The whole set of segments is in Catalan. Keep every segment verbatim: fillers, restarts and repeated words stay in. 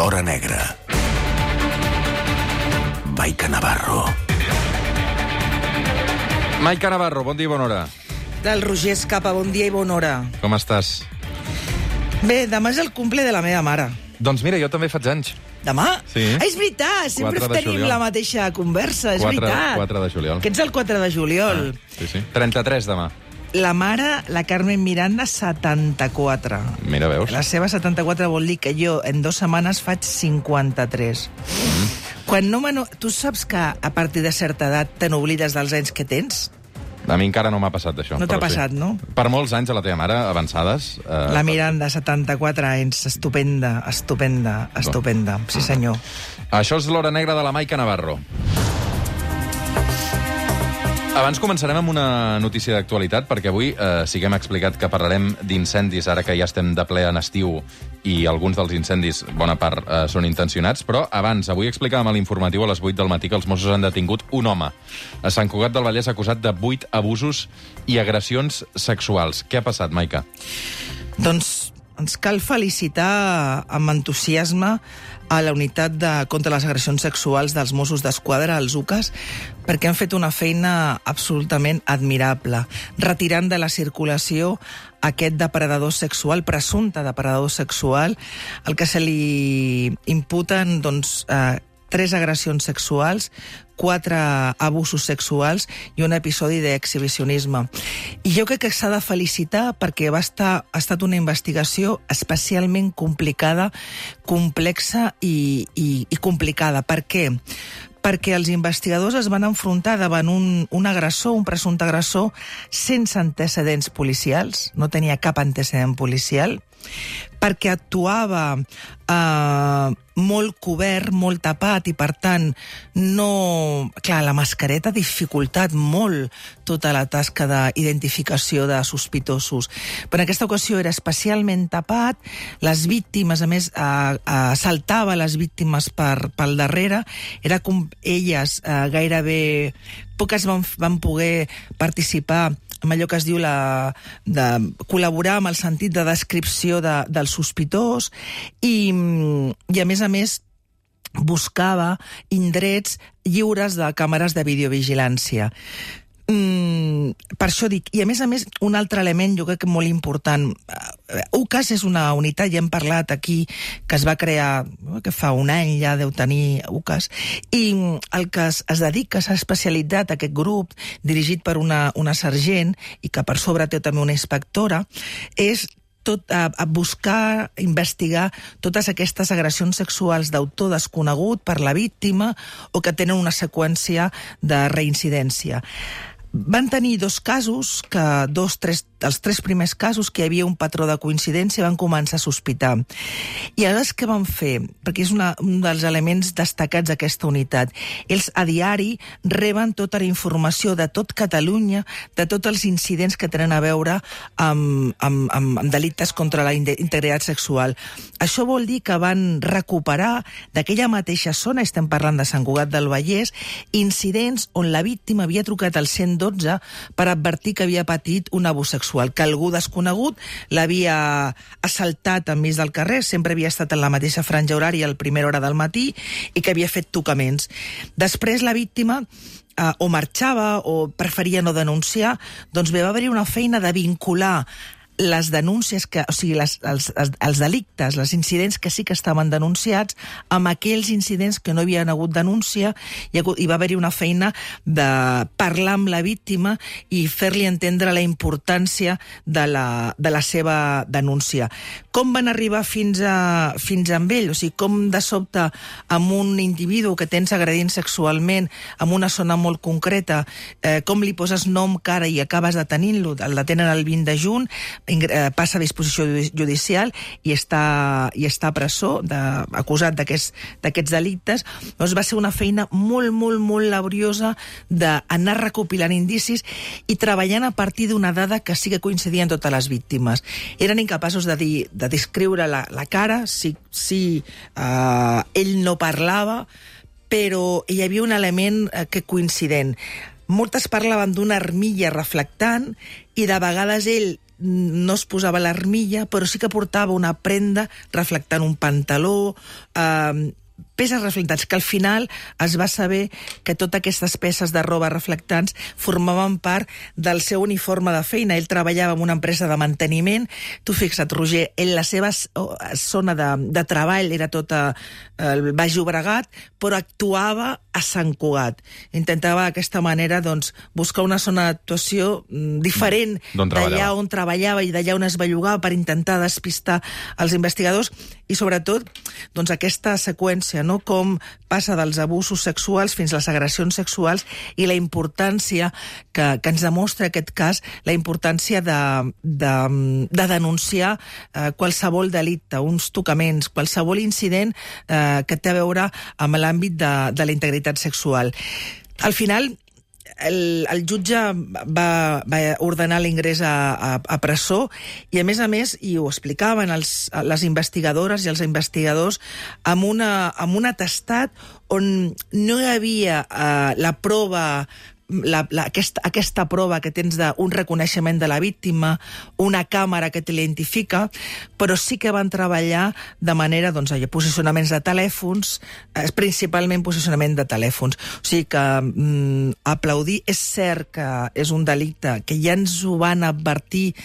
l'hora negra. Maica Navarro. Maica Navarro, bon dia i bona hora. Del Roger Escapa, bon dia i bona hora. Com estàs? Bé, demà és el cumple de la meva mare. Doncs mira, jo també faig anys. Demà? Sí. Ah, és veritat, sempre tenim juliol. la mateixa conversa, és quatre, veritat. quatre de juliol. Que ets el quatre de juliol. Ah, sí, sí. trenta-tres demà. La mare, la Carmen Miranda, setanta-quatre. Mira, veus? La seva setanta-quatre vol dir que jo en dues setmanes faig cinquanta-tres. Mm. Quan no m'ano... Tu saps que a partir de certa edat te n'oblides dels anys que tens? A mi encara no m'ha passat això. No t'ha però passat, sí. no? Per molts anys a la teva mare, avançades... Eh, La Miranda, setanta-quatre anys, estupenda, estupenda, estupenda. Sí, senyor. Això és l'Hora Negra de la Maica Navarro. Abans començarem amb una notícia d'actualitat, perquè avui eh, sí que hem explicat que parlarem d'incendis, ara que ja estem de ple en estiu i alguns dels incendis, bona part, eh, són intencionats, però abans, avui explicàvem a l'informatiu a les vuit del matí que els Mossos han detingut un home a Sant Cugat del Vallès acusat de vuit abusos i agressions sexuals. Què ha passat, Maica? Doncs ens cal felicitar amb entusiasme a la unitat de, contra les agressions sexuals dels Mossos d'Esquadra, els U C A S, perquè han fet una feina absolutament admirable, retirant de la circulació aquest depredador sexual, presumpte depredador sexual, el que se li imputen, doncs, eh, tres agressions sexuals, quatre abusos sexuals i un episodi d'exhibicionisme. I jo crec que s'ha de felicitar perquè va estar, ha estat una investigació especialment complicada, complexa i, i, i complicada. Per què? Perquè els investigadors es van enfrontar davant un, un agressor, un presumpte agressor, sense antecedents policials, no tenia cap antecedent policial, perquè actuava eh, molt cobert, molt tapat, i per tant, no... Clar, la mascareta ha dificultat molt tota la tasca d'identificació de sospitosos. Però en aquesta ocasió era especialment tapat, les víctimes, a més, eh, eh, saltava les víctimes per, pel darrere, era com elles eh, gairebé... Poques van, van poder participar amb allò que es diu la, de col·laborar amb el sentit de descripció de, del sospitós i, i, a més a més, buscava indrets lliures de càmeres de videovigilància. Mm, per això dic, i a més a més, un altre element jo crec que molt important. U C A S és una unitat, ja hem parlat aquí, que es va crear, que fa un any ja deu tenir U C A S, i el que es, es dedica, s'ha especialitzat aquest grup, dirigit per una, una sergent, i que per sobre té també una inspectora, és tot a, a buscar, investigar totes aquestes agressions sexuals d'autor desconegut per la víctima o que tenen una seqüència de reincidència. Van tenir dos casos, que dos, tres, els tres primers casos que hi havia un patró de coincidència, van començar a sospitar. I aleshores què van fer? Perquè és una, un dels elements destacats d'aquesta unitat. Ells a diari reben tota la informació de tot Catalunya, de tots els incidents que tenen a veure amb, amb, amb, amb delictes contra la integritat sexual. Això vol dir que van recuperar d'aquella mateixa zona, estem parlant de Sant Cugat del Vallès, incidents on la víctima havia trucat al cent dotze per advertir que havia patit un abús sexual, que algú desconegut l'havia assaltat enmig del carrer, sempre havia estat en la mateixa franja horària a la primera hora del matí i que havia fet tocaments. Després la víctima eh, o marxava o preferia no denunciar, doncs bé, va haver-hi una feina de vincular les denúncies, que, o sigui, les, els, els, els delictes, els incidents que sí que estaven denunciats, amb aquells incidents que no havien hagut denúncia, i, i va haver-hi una feina de parlar amb la víctima i fer-li entendre la importància de la, de la seva denúncia. Com van arribar fins a, fins a amb ell? O sigui, com de sobte amb un individu que tens agredint sexualment en una zona molt concreta, eh, com li poses nom, cara i acabes detenint-lo, el detenen el vint de juny, passa a disposició judicial i està, i està a presó, de, acusat d'aquests delictes. Doncs va ser una feina molt, molt, molt laboriosa d'anar recopilant indicis i treballant a partir d'una dada que sí que coincidien totes les víctimes. Eren incapaços de, dir, de descriure la, la cara, si, si uh, ell no parlava, però hi havia un element uh, que coincident. Moltes parlaven d'una armilla reflectant i de vegades ell no es posava l'armilla, però sí que portava una prenda reflectant un pantaló, eh, peces reflectants, que al final es va saber que totes aquestes peces de roba reflectants formaven part del seu uniforme de feina. Ell treballava en una empresa de manteniment. Tu fixa't, Roger, ell, la seva zona de, de treball era tota el Baix Llobregat, però actuava a Sant Cugat. Intentava d'aquesta manera doncs, buscar una zona d'actuació diferent d'allà on treballava i d'allà on es bellugava per intentar despistar els investigadors i, sobretot, doncs, aquesta seqüència, no? Com passa dels abusos sexuals fins a les agressions sexuals i la importància que, que ens demostra aquest cas, la importància de, de, de denunciar eh, qualsevol delicte, uns tocaments, qualsevol incident eh, que té a veure amb l'àmbit de, de la integritat sexual. Al final, El, el jutge va, va ordenar l'ingrés a, a, a presó i, a més a més, i ho explicaven els, les investigadores i els investigadors, amb, una, amb un atestat on no hi havia uh, la prova La, la, aquesta, aquesta prova que tens d'un reconeixement de la víctima, una càmera que t'identifica, però sí que van treballar de manera, doncs, allò, posicionaments de telèfons, eh, principalment posicionament de telèfons. O sigui que mm, aplaudir, és cert que és un delicte que ja ens ho van advertir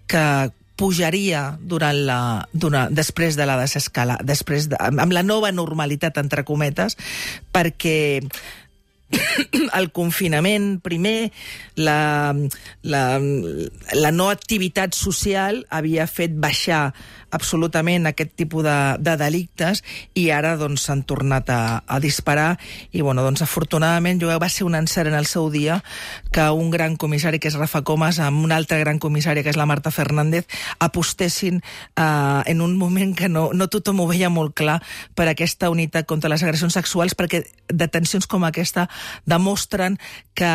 que pujaria durant la, durant, després de la desescala, després de, amb la nova normalitat, entre cometes, perquè el confinament, primer, la, la, la no activitat social havia fet baixar absolutament aquest tipus de, de delictes i ara doncs s'han tornat a, a disparar i bueno, doncs afortunadament jo va ser un encert en el seu dia que un gran comissari que és Rafa Comas amb una altra gran comissària que és la Marta Fernández apostessin eh, en un moment que no, no tothom ho veia molt clar per aquesta unitat contra les agressions sexuals perquè detencions com aquesta demostren que,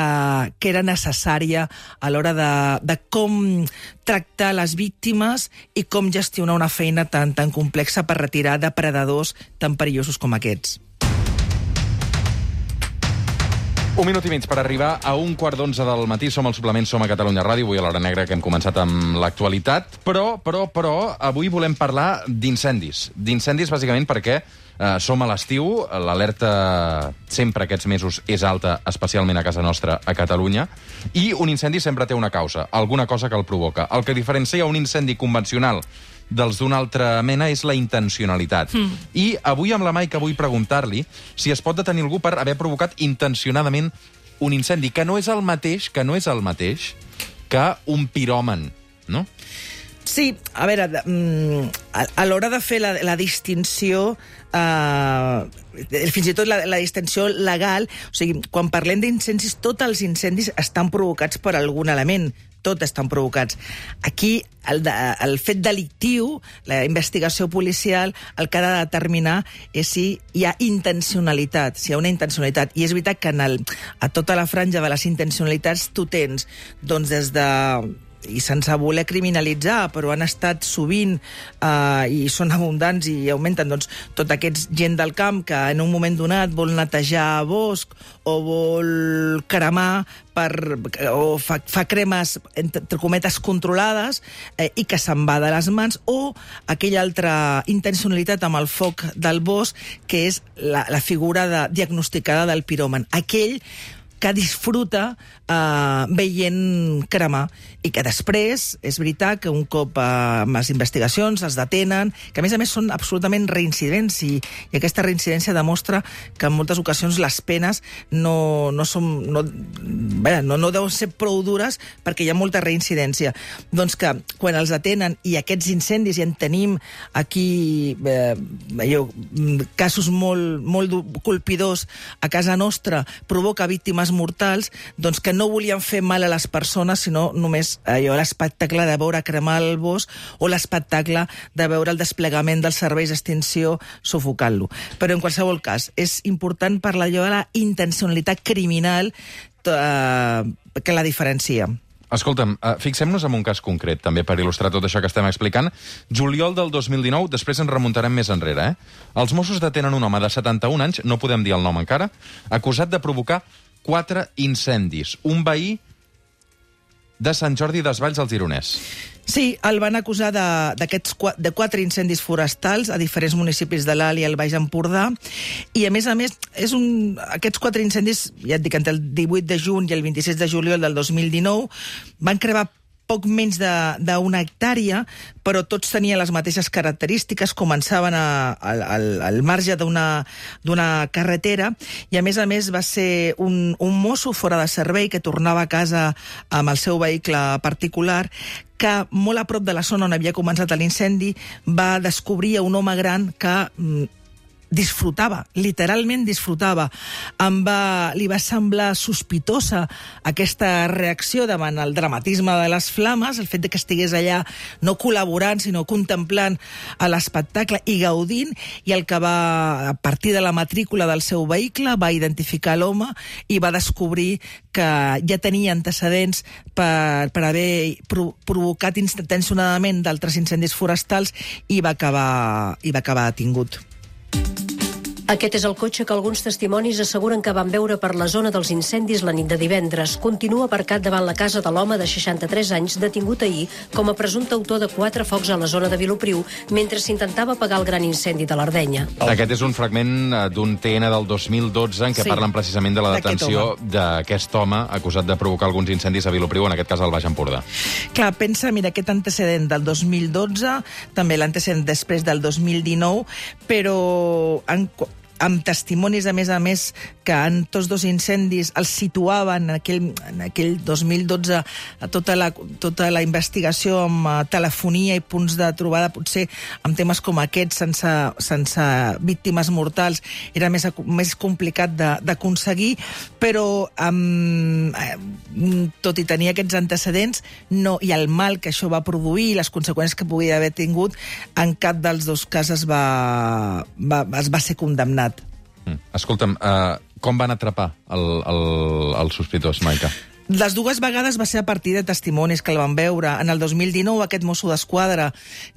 que era necessària a l'hora de, de com tractar les víctimes i com gestionar una feina tan, tan complexa per retirar depredadors tan perillosos com aquests. Un minut i mig per arribar a un quart d'onze del matí. Som al Suplement, som a Catalunya Ràdio, avui a l'Hora Negra, que hem començat amb l'actualitat, però, però, però, avui volem parlar d'incendis. D'incendis, bàsicament, perquè eh, som a l'estiu, l'alerta sempre aquests mesos és alta, especialment a casa nostra, a Catalunya, i un incendi sempre té una causa, alguna cosa que el provoca. El que diferencia un incendi convencional dels d'una altra mena és la intencionalitat. Mm. I avui amb la Maica vull preguntar-li si es pot detenir algú per haver provocat intencionadament un incendi, que no és el mateix, que no és el mateix que un piròman, no? Sí, a veure, a, a l'hora de fer la, la distinció, eh, fins i tot la, la distinció legal, o sigui, quan parlem d'incendis, tots els incendis estan provocats per algun element, tots estan provocats. Aquí, el, de, el fet delictiu, la investigació policial, el que ha de determinar és si hi ha intencionalitat, si hi ha una intencionalitat. I és veritat que en el, a tota la franja de les intencionalitats tu tens, doncs, des de i sense voler criminalitzar, però han estat sovint eh, i són abundants i augmenten doncs, tot aquest gent del camp que en un moment donat vol netejar bosc o vol cremar per, o fa, fa cremes entre cometes controlades eh, i que se'n va de les mans, o aquella altra intencionalitat amb el foc del bosc que és la, la figura de, diagnosticada del piròman, aquell que disfruta eh, veient cremar i que després, és veritat que un cop eh, amb les investigacions es detenen, que a més a més són absolutament reincidents i, i aquesta reincidència demostra que en moltes ocasions les penes no, no són no, bé, no, no deuen ser prou dures perquè hi ha molta reincidència. Doncs que quan els detenen i aquests incendis, i en tenim aquí eh, allò, casos molt, molt colpidors a casa nostra, provoca víctimes mortals, doncs que no volien fer mal a les persones, sinó només allò, l'espectacle de veure cremar el bosc o l'espectacle de veure el desplegament dels serveis d'extinció sufocant-lo. Però en qualsevol cas, és important parlar allò de la intencionalitat criminal eh, que la diferencia. Escolta'm, uh, fixem-nos en un cas concret, també, per il·lustrar tot això que estem explicant. Juliol del dos mil dinou, després ens remuntarem més enrere, eh? Els Mossos detenen un home de setanta-un anys, no podem dir el nom encara, acusat de provocar quatre incendis. Un veí de Sant Jordi Desvalls al Gironès. Sí, el van acusar d'aquests de quatre incendis forestals a diferents municipis de l'Alt i el Baix Empordà, i a més a més, és un, aquests quatre incendis, ja et dic, entre el divuit de juny i el vint-i-sis de juliol del dos mil dinou, van cremar poc menys d'una hectàrea, però tots tenien les mateixes característiques, començaven a, a, al, al marge d'una carretera, i a més a més va ser un, un mosso fora de servei que tornava a casa amb el seu vehicle particular, que molt a prop de la zona on havia començat l'incendi va descobrir un home gran que mm, disfrutava, literalment disfrutava. Em va, li va semblar sospitosa aquesta reacció davant el dramatisme de les flames, el fet de que estigués allà no col·laborant, sinó contemplant l'espectacle i gaudint, i el que va, a partir de la matrícula del seu vehicle, va identificar l'home i va descobrir que ja tenia antecedents per, per haver pro, provocat intencionadament d'altres incendis forestals, i va acabar, i va acabar detingut. Aquest és el cotxe que alguns testimonis asseguren que van veure per la zona dels incendis la nit de divendres. Continua aparcat davant la casa de l'home de seixanta-tres anys detingut ahir com a presumpte autor de quatre focs a la zona de Vilopriu mentre s'intentava apagar el gran incendi de l'Ardenya. Aquest és un fragment d'un T N del dos mil dotze en què sí, parlen precisament de la detenció d'aquest home acusat de provocar alguns incendis a Vilopriu, en aquest cas al Baix Empordà. Clar, pensa, mira, aquest antecedent del dos mil dotze, també l'antecedent després del dos mil dinou, però en amb testimonis, a més a més, que en tots dos incendis els situaven en aquell, en aquell dos mil dotze tota la, tota la investigació amb uh, telefonia i punts de trobada, potser amb temes com aquests, sense, sense víctimes mortals, era més, més complicat d'aconseguir, però um, tot i tenir aquests antecedents no, i el mal que això va produir i les conseqüències que podia haver tingut, en cap dels dos casos va, va, es va ser condemnat. Mm. Escolta'm, uh, com van atrapar el, el, el sospitós, Maica? Les dues vegades va ser a partir de testimonis que el van veure. En el dos mil dinou, aquest mosso d'esquadra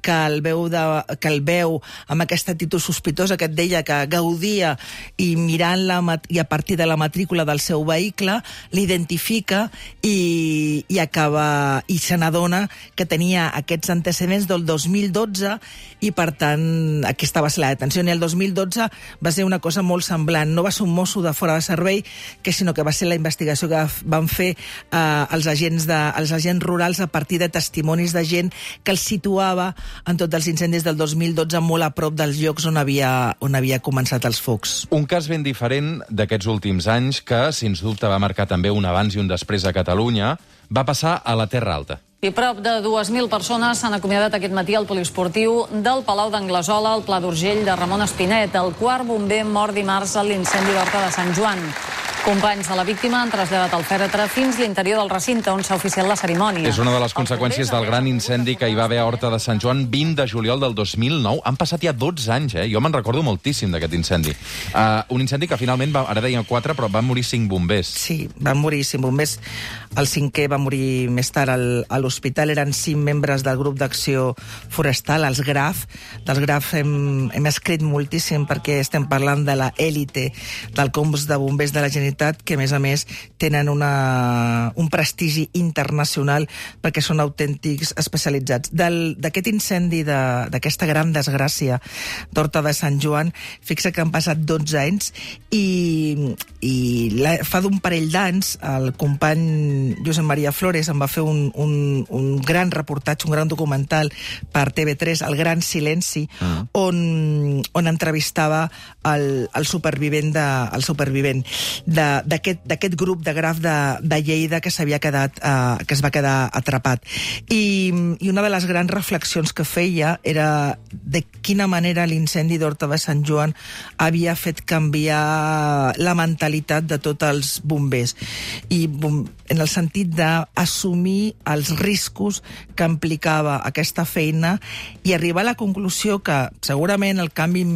que el veu, de, que el veu amb aquesta actitud sospitosa que et deia que gaudia i mirant la, i a partir de la matrícula del seu vehicle, l'identifica i, i acaba i se n'adona que tenia aquests antecedents del dos mil dotze i, per tant, aquesta va ser la detenció. I el dos mil dotze va ser una cosa molt semblant. No va ser un mosso de fora de servei, que sinó que va ser la investigació que van fer Uh, els, agents de, els agents rurals a partir de testimonis de gent que els situava en tots els incendis del dos mil dotze molt a prop dels llocs on havia, on havia començat els focs. Un cas ben diferent d'aquests últims anys que, sens dubte, va marcar també un abans i un després a Catalunya, va passar a la Terra Alta. I prop de dues mil persones s'han acomiadat aquest matí al poliesportiu del Palau d'Anglesola, al Pla d'Urgell de Ramon Espinet. El quart bomber mort dimarts a l'incendi d'Horta de Sant Joan. Companys de la víctima han traslladat el fèretre fins l'interior del recinte on s'ha oficiat la cerimònia. És una de les conseqüències del gran incendi que hi va haver a Horta de Sant Joan vint de juliol del dos mil nou. Han passat ja dotze anys, eh? Jo me'n recordo moltíssim d'aquest incendi. Uh, un incendi que finalment, va, ara deien quatre, però van morir cinc bombers. Sí, van morir cinc bombers. El cinquè va morir més tard al, a l'hospital. Eren cinc membres del grup d'acció forestal, els GRAF. Dels GRAF hem, hem escrit moltíssim perquè estem parlant de la élite del cos de bombers de la Generalitat, que a més a més tenen una, un prestigi internacional perquè són autèntics especialitzats. D'aquest incendi, d'aquesta gran desgràcia d'Horta de Sant Joan, fixa que han passat dotze anys i, i la, fa d'un parell d'anys el company Josep Maria Flores em va fer un, un, un gran reportatge, un gran documental per T V tres, El Gran Silenci, uh-huh. on, on entrevistava el, el supervivent, de, el supervivent de d'aquest grup de graf de, de Lleida que s'havia quedat, eh, que es va quedar atrapat. I, I una de les grans reflexions que feia era de quina manera l'incendi d'Horta de Sant Joan havia fet canviar la mentalitat de tots els bombers. I en el sentit d'assumir els riscos que implicava aquesta feina i arribar a la conclusió que segurament el canvi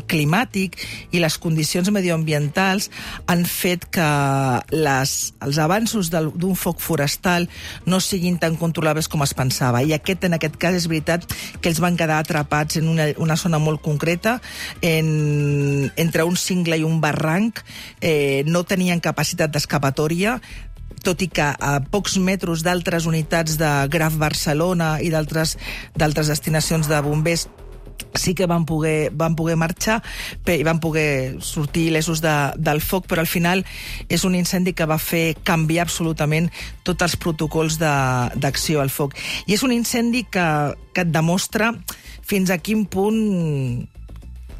climàtic i les condicions medioambientals han fet fet que les, els avanços d'un foc forestal no siguin tan controlables com es pensava. I aquest, en aquest cas, és veritat que ells van quedar atrapats en una, una zona molt concreta, en, entre un cingle i un barranc, eh, no tenien capacitat d'escapatòria, tot i que a pocs metres d'altres unitats de Graf Barcelona i d'altres destinacions de bombers sí que van poder, van poder marxar i van poder sortir il·lesos de, del foc, però al final és un incendi que va fer canviar absolutament tots els protocols d'acció al foc. I és un incendi que, que et demostra fins a quin punt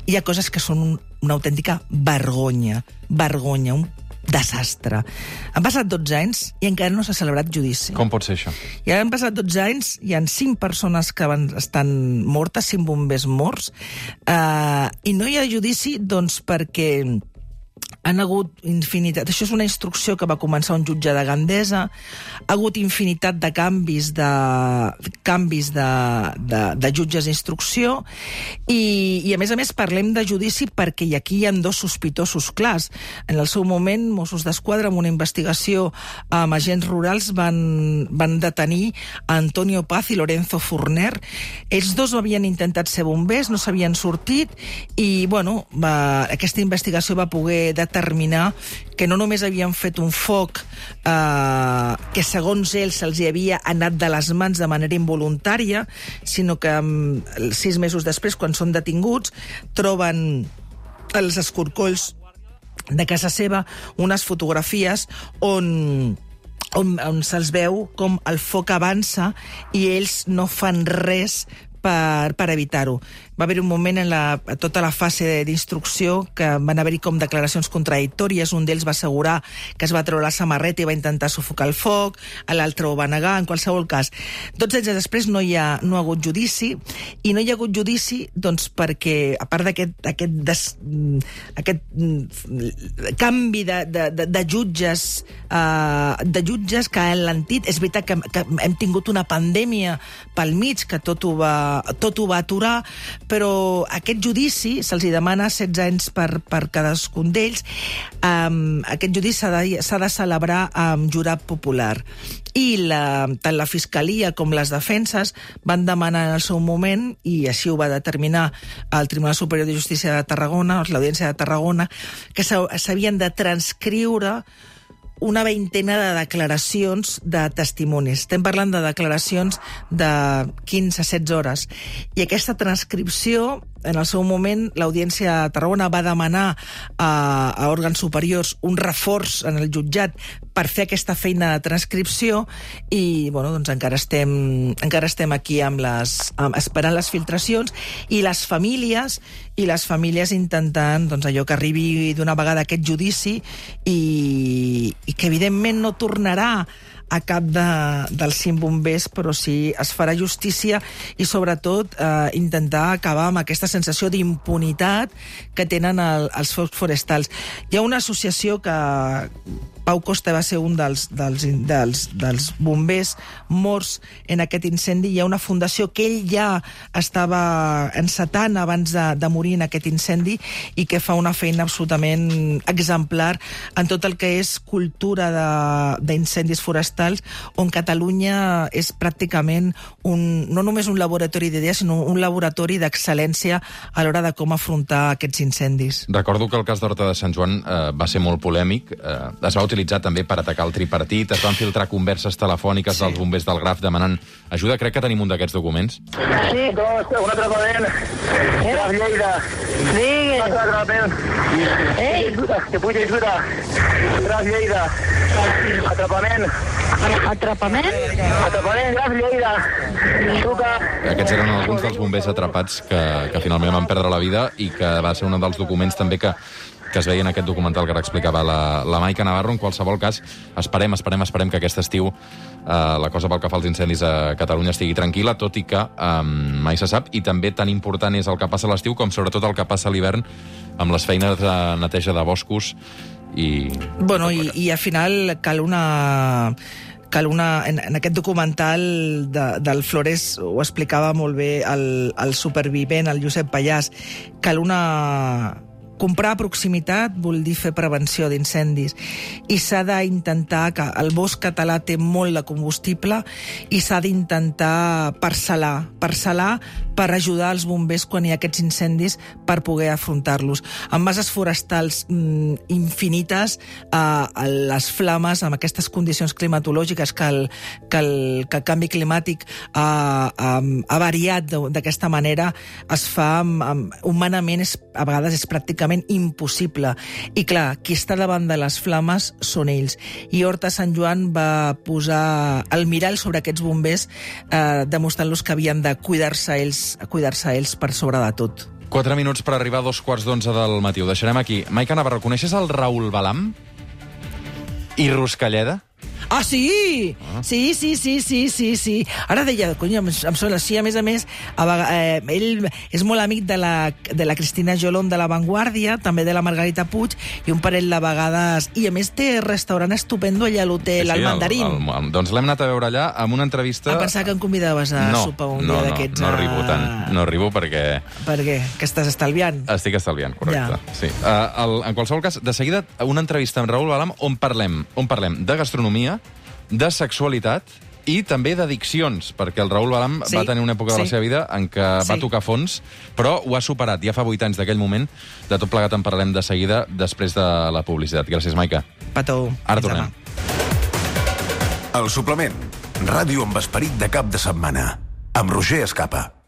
hi ha coses que són un, una autèntica vergonya, vergonya, un desastre. Han passat dotze anys i encara no s'ha celebrat judici. Com pot ser això? I han passat dotze anys, hi ha cinc persones que van, estan mortes, cinc bombers morts, eh, i no hi ha judici doncs perquè han hagut infinitat... Això és una instrucció que va començar un jutge de Gandesa, ha hagut infinitat de canvis de canvis de, de, de jutges d'instrucció i, i, a més a més, parlem de judici perquè aquí hi ha dos sospitosos clars. En el seu moment, Mossos d'Esquadra, amb una investigació amb agents rurals, van, van detenir a Antonio Paz i Lorenzo Forner. Ells dos havien intentat ser bombers, no s'havien sortit i, bueno, va, aquesta investigació va poder determinar que no només havien fet un foc eh, que segons ells se'ls havia anat de les mans de manera involuntària, sinó que um, sis mesos després, quan són detinguts, troben els escorcolls de casa seva unes fotografies on on, on se'ls veu com el foc avança i ells no fan res per, per evitar-ho. Va haver un moment en la, tota la fase d'instrucció que van haver-hi com declaracions contradictòries. Un d'ells va assegurar que es va treure la samarreta i va intentar sufocar el foc, l'altre ho va negar. En qualsevol cas, dotze anys després no hi ha, no ha hagut judici, i no hi ha hagut judici doncs, perquè, a part d'aquest aquest des, aquest canvi de, de, de, de jutges uh, de jutges que han lentit, és veritat que, que hem tingut una pandèmia pel mig que tot ho va, tot ho va aturar, però aquest judici se'ls demana setze anys per, per cadascun d'ells. Um, aquest judici s'ha de, s'ha de celebrar amb jurat popular. I la, tant la Fiscalia com les defenses van demanar en el seu moment, i així ho va determinar el Tribunal Superior de Justícia de Tarragona, l'Audiència de Tarragona, que s'havien de transcriure una veintena de declaracions de testimonis. Estem parlant de declaracions de quinze a setze hores. I aquesta transcripció, en el seu moment, l'Audiència de Tarragona va demanar a, a òrgans superiors un reforç en el jutjat per fer aquesta feina de transcripció i, bueno, doncs encara estem, encara estem aquí amb les, amb, esperant les filtracions i les famílies i les famílies intentant doncs, allò que arribi d'una vegada aquest judici i, i que evidentment no tornarà a cap de, dels cinc bombers, però sí es farà justícia i, sobretot, eh, intentar acabar amb aquesta sensació d'impunitat que tenen el, els focs forestals. Hi ha una associació que Pau Costa va ser un dels, dels, dels, dels bombers morts en aquest incendi. Hi ha una fundació que ell ja estava encetant abans de, de morir en aquest incendi i que fa una feina absolutament exemplar en tot el que és cultura d'incendis forestals, on Catalunya és pràcticament un, no només un laboratori d'idees, sinó un laboratori d'excel·lència a l'hora de com afrontar aquests incendis. Recordo que el cas d'Horta de Sant Joan eh, va ser molt polèmic. Eh, es va utilitzar també per atacar el tripartit, es van filtrar converses telefòniques sí. dels bombers del Graf demanant ajuda. Crec que tenim un d'aquests documents. Sí, un atrapament. Graf Lleida. Digui. Un atrapament. Ei. Que puja ajuda. Graf Lleida. Atrapament. Atrapament? Atrapament, Graf Lleida. Truca. Aquests eren alguns dels bombers atrapats que, que finalment van perdre la vida i que va ser un dels documents també que que es veia en aquest documental que ara explicava la, la Maica Navarro. En qualsevol cas, esperem, esperem, esperem que aquest estiu eh, la cosa pel que fa als incendis a Catalunya estigui tranquil·la, tot i que eh, mai se sap, i també tan important és el que passa a l'estiu com sobretot el que passa a l'hivern amb les feines de neteja de boscos i... Bueno, i, i al final cal una... cal una, en, en aquest documental de, del Flores ho explicava molt bé el, el supervivent, el Josep Pallàs, cal una... comprar a proximitat vol dir fer prevenció d'incendis i s'ha d'intentar, que el bosc català té molt de combustible i s'ha d'intentar parcel·lar, parcel·lar per ajudar els bombers quan hi ha aquests incendis per poder afrontar-los. Amb bases forestals mm, infinites, eh, les flames, amb aquestes condicions climatològiques que el, que el, que el canvi climàtic eh, eh, ha variat d'aquesta manera, es fa amb, amb, humanament és, a vegades és pràcticament impossible. I clar, qui està davant de les flames són ells. I Horta Sant Joan va posar el mirall sobre aquests bombers, eh, demostrant-los que havien de cuidar-se ells, cuidar-se ells per sobre de tot. Quatre minuts per arribar a dos quarts d'onze del matí. Ho deixarem aquí. Maica Navarro, coneixes el Raül Balam? I Ruscalleda? Ah, sí! Ah. Sí, sí, sí, sí, sí, sí. Ara deia, cony, em, em sona, sí, a més a més, a, eh, ell és molt amic de la, de la Cristina Jolón de La Vanguardia, també de la Margarita Puig, i un parell de vegades... I a més té restaurant estupendo allà a l'hotel, sí, sí, al Mandarín. El, el, el, doncs l'hem anat a veure allà amb una entrevista... A pensar que em convidaves a no, sopar un no, dia d'aquests... No, no arribo tant. No arribo perquè... Per què? Que estàs estalviant? Estic estalviant, correcte. Ja. Sí. Uh, el, en qualsevol cas, de seguida, una entrevista amb Raül Balam on parlem, on parlem de gastronomia, de sexualitat i també d'addiccions, perquè el Raül Balam sí, va tenir una època sí. de la seva vida en què sí. va tocar fons, però ho ha superat. Ja fa vuit anys d'aquell moment. De tot plegat en parlem de seguida, després de la publicitat. Gràcies, Maica. Petó. Ara tornem. El suplement. Ràdio amb esperit de cap de setmana. Amb Roger Escapa.